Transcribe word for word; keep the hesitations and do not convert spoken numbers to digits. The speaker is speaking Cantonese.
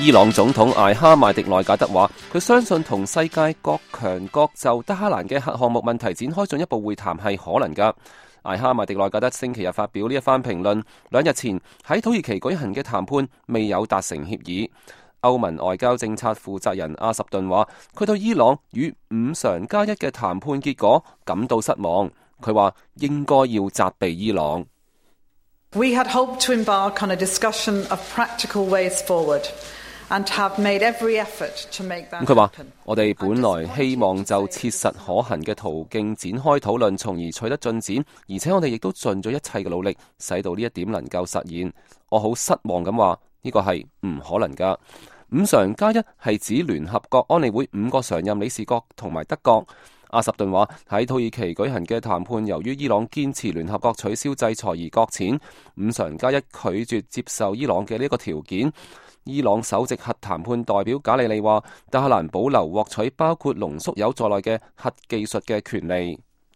伊朗總統艾哈邁迪內賈德話，佢相信同世界各強國就德黑蘭嘅核項目問題展開進一步會談係可能㗎。艾哈邁迪內賈德星期日發表呢一番評論，兩日前喺土耳其舉行嘅談判未有達成協議。歐盟外交政策負責人阿什頓話，佢對伊朗與五常加一嘅談判結果感到失望。佢話應該要責備伊朗。We had hoped to embark on a discussion of practical ways forward and have made every effort to make that happen. 佢話我哋本來希望就切實可行嘅途徑展開討論，從而取得進展，而且我哋亦都盡咗一切嘅努力，使到呢一點能夠實現。我好失望咁話，呢個係唔可能㗎。五常加一係指聯合國安理會五個常任理事國同埋德國。阿什頓話喺土耳其舉行嘅談判，由於伊朗堅持聯合國取消制裁而擱淺，五常加一拒絕接受伊朗嘅呢個條件。伊朗首席核談判代表賈里利話，德黑蘭保留獲取包括濃縮鈾在內嘅核技術嘅權利。